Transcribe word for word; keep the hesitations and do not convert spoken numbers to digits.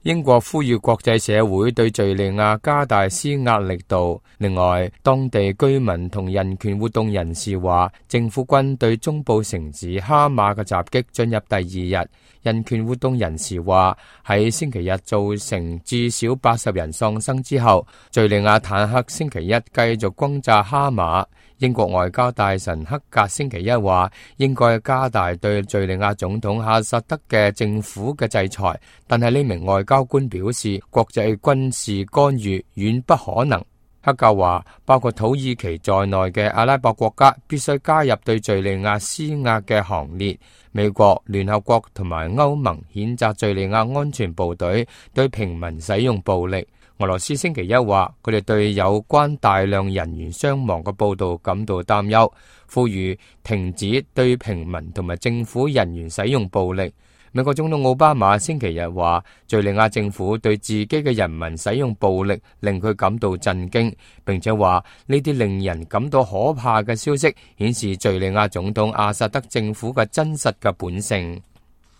英國呼籲國際社會對敘利亞加大施壓力度。另外，當地居民同人權活動人士話，政府軍對中部城市哈馬嘅襲擊進入第二日。人權活動人士話，喺星期日造成至少八十人喪生之後，敘利亞坦克星期一繼續轟炸哈馬。英國外交大臣克格星期一話，應該加大對敘利亞總統阿薩德嘅政府嘅制裁，但係呢名外交官表示，國際軍事干預遠不可能。克格話，包括土耳其在內嘅阿拉伯國家必須加入對敘利亞施壓嘅行列。美國、聯合國同埋歐盟譴責敘利亞安全部隊對平民使用暴力。俄羅斯星期一話，佢哋對有關大量人員傷亡嘅報道感到擔憂，呼籲停止對平民同埋政府人員使用暴力。美國總統奧巴馬星期日話，敘利亞政府對自己嘅人民使用暴力令佢感到震驚，並且話呢啲令人感到可怕嘅消息顯示敘利亞總統阿薩德政府嘅真實嘅本性。